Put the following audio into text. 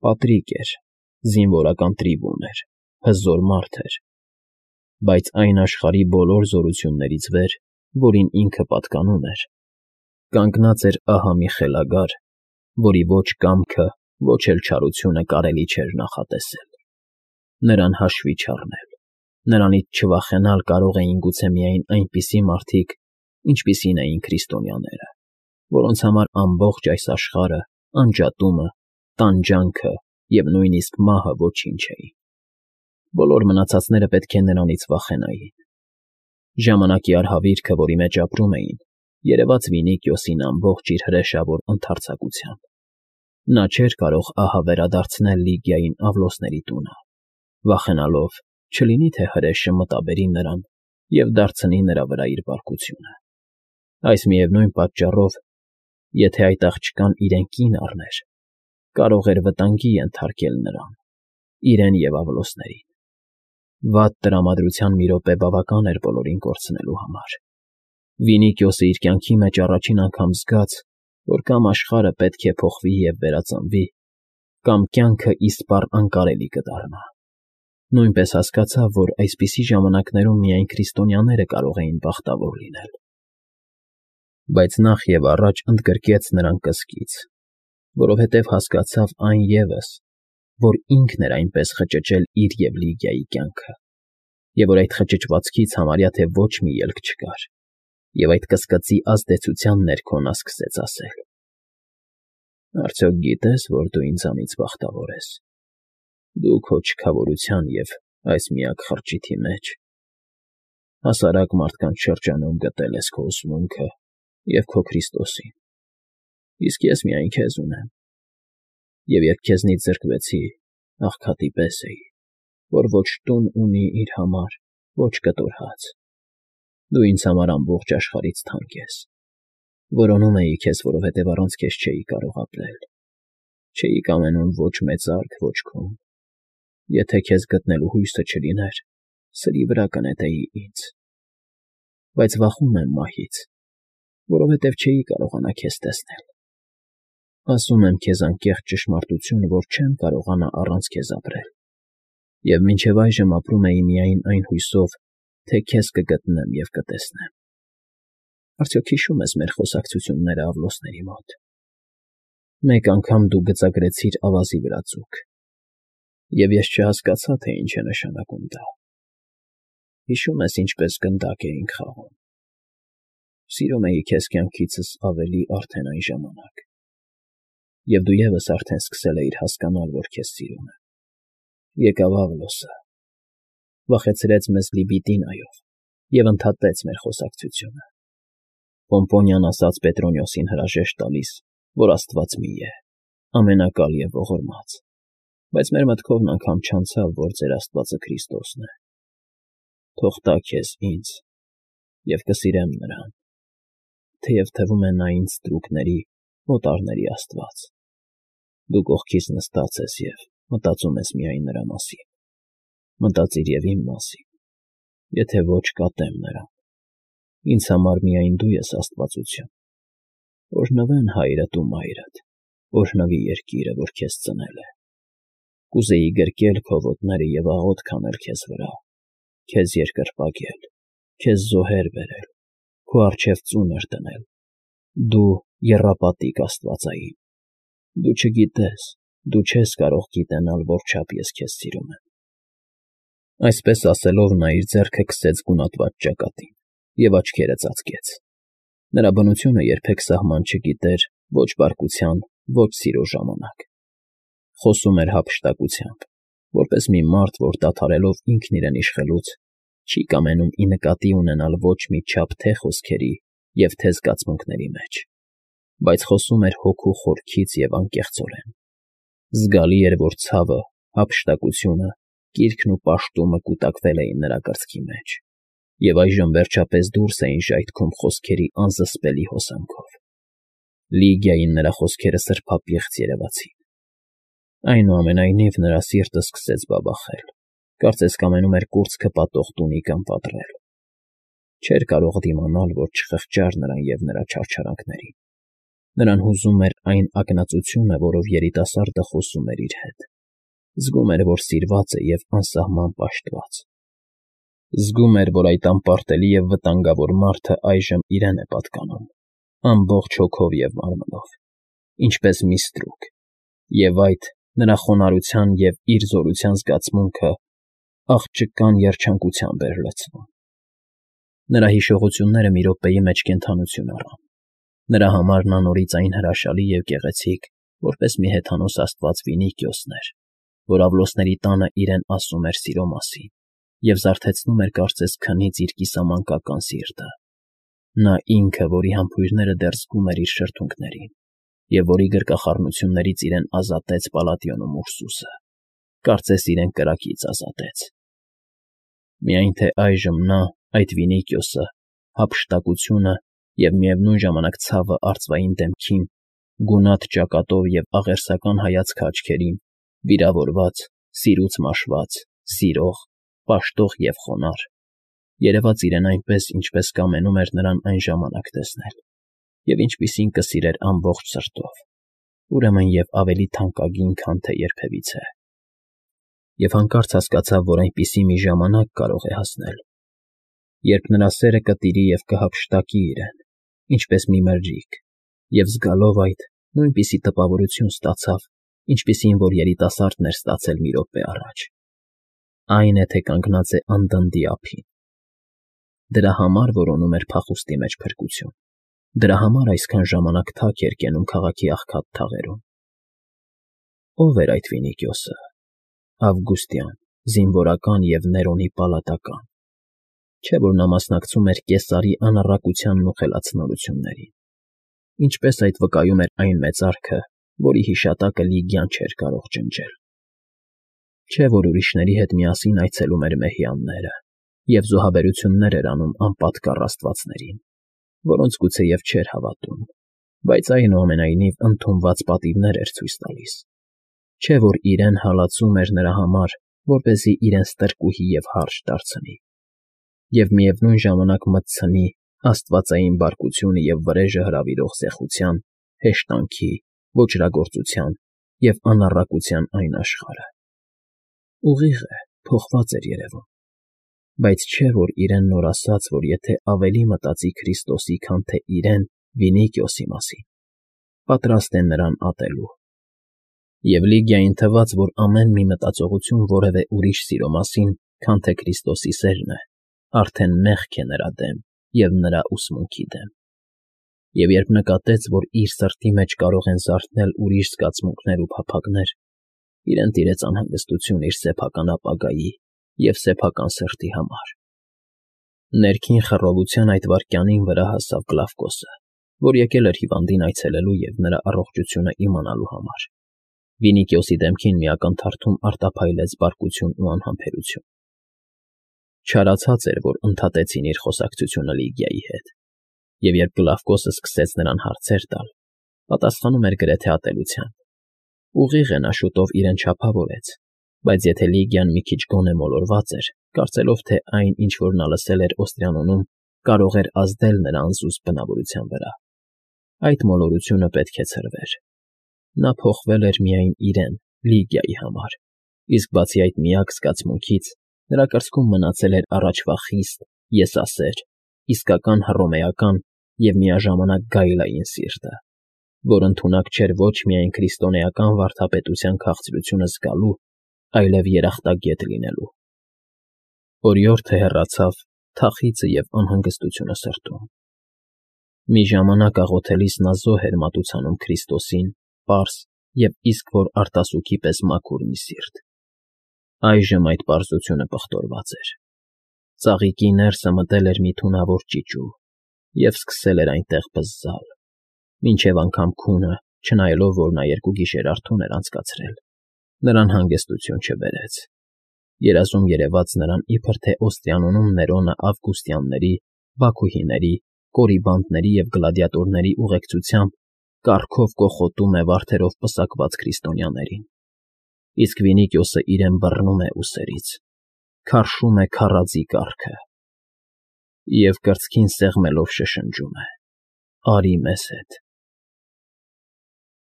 Պատրիկ էր, զինվորական տրիբուն էր, հզոր մարդ էր, բայց այն աշխարհի բոլոր զորություններից վեր, որին ինքը պատկանում էր, կանգնած էր ահա մի խելագար, որի ոչ կամքը, ոչ էլ չարությունը կարելի չէր նախատեսել, նրան հաշվի չառնել, նրանից չվախենալ կարող էին գուցե միայն այնպիսի մարդիկ, ինչպիսին էին քրիստոնյաները, որոնց համար ամբողջ այս աշխարհը, անջատումը, տանջանքը և նույնիսկ մահը ոչինչ էին։ Բոլոր մնացածները պետք է նրանից վախենային։ Ժամանակի արհավիրքը, որի մեջ ապրում էին, երևաց Վինիկիոսին ամբողջ իր հրեշավոր ընդարձակությամբ։ Նա չէր կարող ահա վերադարձնել Լիգիային Ավլոսների տունը, վախենալով, չլինի թե հրեշը մտաբերի նրան և դարձնի նրա վրա իր բարկությունը։ Այս միևնույն պատճառով, եթե այդ աղջկան իրեն կին առներ, կարող էր վտանգի ենթարկել նրան, իրեն և Ավլոսներին։ Վատ տրամադրության մի րոպե բավական էր բոլորին կորցնելու համար։ Վինիկիոսը իր կյանքի մեջ առաջին անգամ զգաց, որ կամ աշխարհը պետք է փոխվի և վերածնվի, կամ կյանքը իսպառ անկարելի կդառնա։ Նույնպես հասկացավ, որ այսպիսի ժամանակներում միայն քրիստոնյաները կարող էին բախտավոր լինել։ Բայց նախ և առաջ ընդգրկեց նրան կսկիծ, որովհետև հասկացավ այն ևս, որ ինքն էր այնպես խճճել իր և Լիգիայի կյանքը, և որ այդ խճճվածքից համարյա թե ոչ մի ելք չկար, և այդ կսկծի ազդեցության ներքո նա սկսեց ասել. «Արդյոք գիտես, որ դու ինձանից բախտավոր ես, դու քո չքավորության և այս միակ խրճիթի մեջ հասարակ մարդկանց շրջանում գտել ես քո ուսմունքը և քո Քրիստոսին, իսկ ես միայն քեզ ունեմ, և երբ քեզնից զրկվեցի, աղքատի պես էի, որ ոչ տուն ունի իր համար, ոչ կտոր հաց։ Դու ինձ համար ամբողջ աշխարհից թանկ ես։ Որոնում էի քեզ, որովհետև առանց քեզ չէի կարող ապրել։ Չէի կամենում ոչ մեծարք, ոչ քուն։ Եթե քեզ գտնելու հույսը չլիներ, սրի վրա կնետեի ինձ։ Բայց վախում եմ մահից, որովհետև չէի կարողանա քեզ տեսնել։ Ասում եմ քեզ անկեղծ ճշմարտություն, որ չեմ կարողանա առանց քեզ ապրել, և մինչև այժմ ապրում էի միայն այն հույսով, թե քեզ կգտնեմ և կտեսնեմ։ Արդյոք հիշո՞ւմ ես մեր խոսակցությունները Ավլոսների մոտ։ Մեկ անգամ դու գծագրեցիր ավազի վրա ձուկ, և ես չհասկացա, թե ինչ է նշանակում դա։ Հիշո՞ւմ ես ինչպես գնդակ էինք խաղում։ Սիրում էի քեզ կյանքիցս ավելի արդեն այն ժամանակ, և դու ևս արդեն սկսել էիր հասկանալ, որ քեզ սիրում եմ։ Եկավ Ավլոսը, վախեցրեց մեզ Լիբիտինայով և ընդհատեց մեր խոսակցությունը։ Պոմպոնիան ասաց Պետրոնիոսին հրաժեշտ տալիս, որ Աստված մի է, ամենակալ և ողորմած, բայց մեր մտքովն անգամ չանցավ, որ ձեր Աստվածը Քրիստոսն է։ Թող տա քեզ ինձ, և կսիրեմ նրան, թեև թվում է նա ինձ ստրուկների, օտարների Աստված։ Դու կողքիս նստած ես և մտածում ես միայն նրա մասին։ Մտածիր և իմ մասին, եթե ոչ կատեմ նրան։ Ինձ համար միայն դու ես աստվածություն։ Օրհնվեն հայրդ ու մայրդ, օրհնվի երկիրը, որ քեզ ծնել է։ Կուզեի գրկել քո ոտները և աղոթք անել քեզ վրա, քեզ երկրպագել, քեզ զոհեր բերել, քո առջև ծունր դնել, դու եռապատիկ աստվածային։ Դու չգիտես, դու չես կարող գիտենալ որչափ ես քեզ սիրում եմ։ Այսպես ասելով նա իր ձեռքը քսեց գունատված ճակատին և աչքերը ծածկեց։ Նրա բնությունը երբեք սահման չգիտեր ոչ բարկության, ոչ սիրո ժամանակ։ Խոսում էր հափշտակությամբ, որպես մի մարդ, որ դադարելով ինքն իրեն իշխելուց, չի կամենում ի նկատի ունենալ ոչ մի չափ թե խոսքերի և թե զգացմունքների մեջ, բայց խոսում էր հոգու խորքից և անկեղծորեն։ Զգալի էր, որ ցավը, հափշտակությունը, կիրքն ու պաշտումը կուտակվել էին նրա կրծքի մեջ, և այժմ վերջապես դուրս էին ժայթքում խոսքերի անզսպելի հոսանքով։ Լիգիային նրա խոսքերը սրբապիղծ երևացին։ Այնուամենայնիվ նրա սիրտը սկսեց բաբախել, կարծես կամենում էր կուրծքը պատող տունիկան պատռել։ Չէր կարող դիմանալ, որ չխղճար նրան և նրա չարչարանքներին։ Նրան հուզում էր այն ակնածությունը, որով երիտասարդը խոսում էր իր հետ։ Զգում էր, որ սիրված է և անսահման պաշտված։ Զգում էր, որ այդ անպարտելի և վտանգավոր մարդը այժմ իրեն է պատկանում, ամբողջ հոգով և մարմնով, ինչպես մի ստրուկ, և այդ նրա խոնարհության և իր զորության զգացմունքը աղջկան երջանկությամբ էր լցնում։ Նրա հիշողությունները մի րոպեի մեջ կենդանություն առան։ Նրա համար նա նորից այն հրաշալի և գեղեցիկ, որպես մի հեթանոս աստված Վինիկիոսն էր, որ Ավլոսների տանը իրեն ասում էր սիրո մասին և զարթեցնում էր կարծես քնից իր կիսամանկական սիրտը։ Նա ինքը, որի համբույրները դեռ զգում էր իր շրթունքներին, և որի գրկախառնություններից իրեն ազատեց Պալատիոնում Ուրսուսը, կարծես իրեն կրակից ազատեց։ Միայն թե այժմ նա, այդ Վինիկիոսը, հափշտակությունը և միևնույն ժամանակ ցավը արծվային դեմքին, գունատ ճակատով և աղերսական հայացքը աչքերին, վիրավորված, սիրուց մաշված, սիրող, պաշտող և խոնարհ, երևաց իրեն այնպես, ինչպես կամենում էր նրան այն ժամանակ տեսնել, և ինչպիսին կսիրեր ամբողջ սրտով, ուրեմն և ավելի թանկագին, քան թե երբևիցե։ Եվ հանկարծ հասկացավ, որ այնպիսի մի ժամանակ կարող է հասնել, երբ նրա սերը կտիրի և կհափշտակի իրեն, ինչպես մի մրջիկ, և զգալով այդ, նույնպիսի տպավորություն ստացավ, ինչպիսին որ երիտասարդն էր ստացել մի րոպե առաջ։ Այն է, թե կանգնած է անդնդի ափին։ Դրա համար որոնում էր փախուստի մեջ փրկություն։ Դրա համար այսքան ժամանակ թաք էր կենում քաղաքի աղքատ թաղերում։ Ո՞վ էր այդ Վինիկիոսը։ Ավգուստյան, զինվորական և Ներոնի պալատական։ Չէ՞ որ նա մասնակցում էր Կեսարի անառակությանն ու խելացնորություններին։ Ինչպես այդ վկայում էր այն մեծարքը, որի հիշատակը Լիգիան չէր կարող ջնջել։ Չէ՞ որ ուրիշների հետ միասին այցելում էր մեհյանները և զոհաբերություններ էր անում անպատկառ աստվածներին, որոնց գուցեև չէր հավատում, բայց այնուամենայնիվ ընդունված պատիվներ էր ցույց տալիս։ Չէ՞ որ իրեն հալածում էր նրա համար, որպեսզի իրեն ստրկուհի և հարճ դարձնի, և միևնույն ժամանակ մտցնի աստվածային բարկությունը և վրեժը հրավիրող զեխության, հեշտանքի, ոճրագործության և անառակության այն աշխարհը։ Ուղիղ է, փոխված էր երևում, բայց չէ՞ որ իրեն նոր ասաց, որ եթե ավելի մտածի Քրիստոսի, քան թե իրեն՝ Վինիկիոսի մասին, պատրաստ է նրան ատելու։ Եվ Լիգիային թվաց, որ ամեն մի մտածողություն որևէ ուրիշ սիրո մասին, քան թե Քրիստոսի սերն է, արդեն մեղք է նրա դեմ և նրա ուսմունքի դեմ։ Եվ երբ նկատեց, որ իր սրտի մեջ կարող են զարթնել ուրիշ զգացմունքներ ու փափագներ, իրեն տիրեց անհանգստություն իր սեփական ապագայի և սեփական սրտի համար։ Ներքին խռովության այդ վայրկյանին վրա հասավ Կլավկոսը, որ եկել էր հիվանդին այցելելու և նրա առողջությունը իմանալու համար։ Վինիկիոսի դեմքին մի ակնթարթում արտափայլեց բարկություն ու անհամբերություն։ Չարացած էր, որ ընդհատեցին իր խոսակցությունը Լիգիայի հետ, և երբ Կլավկոսը սկսեց նրան հարցեր տալ, պատասխանում էր գրեթե ատելությամբ։ Ուղիղ է, նա շուտով իրեն չափավորեց, բայց եթե Լիգիան մի քիչ գոնե մոլորված էր, կարծելով, թե այն, ինչ որ նա լսել էր Օստրիանոնում, կարող էր ազդել նրա անզուսպ բնավորության վրա, այդ մոլորությունը պետք է ցրվեր։ Նա փոխվել էր միայն իրեն, Լիգիայի համար, իսկ բացի այդ միակ զգացմունքից, նրա կրծքում մնացել էր առաջվա խիստ, եսասեր, իսկական հռոմեական և միաժամանակ գայլային սիրտը, որ ընդունակ չէր ոչ միայն քրիստոնեական վարդապետության քաղցրությունը զգալու, այլև երախտագետ լինելու։ Օրիորդը հեռացավ, թախիծը և անհանգստությունը սրտում։ Մի ժամանակ աղոթելիս նա զոհ էր մատուցանում Քրիստոսին, պարզ և իսկ որ արտասուքի պես մաքուր մի սիրտ։ Այժմ այդ պարզությունը պղտորված էր։ Ծաղիկի ներսը մտել էր մի թունավոր ճիճու և սկսել էր այնտեղ բզզալ, մինչև անգամ քունը, չնայելով, որ նա 2 գիշեր արթուն էր անցկացրել, նրան հանգստություն չբերեց։ Երազում երևաց նրան, իբր թե Օստրիանոնում Ներոնը Ավգուստյանների, Բաքուհիների, Կորիբանդների և գլադիատորների ուղեկցությամբ կառքով կոխոտում է վարդերով պսակված քրիստոնյաներին, իսկ Վինիկիոսը իրեն բռնում է ուսերից, քարշում է քարաձի կառքը և կրծքին սեղմելով շշնջում է. «Արի մեզ հետ»։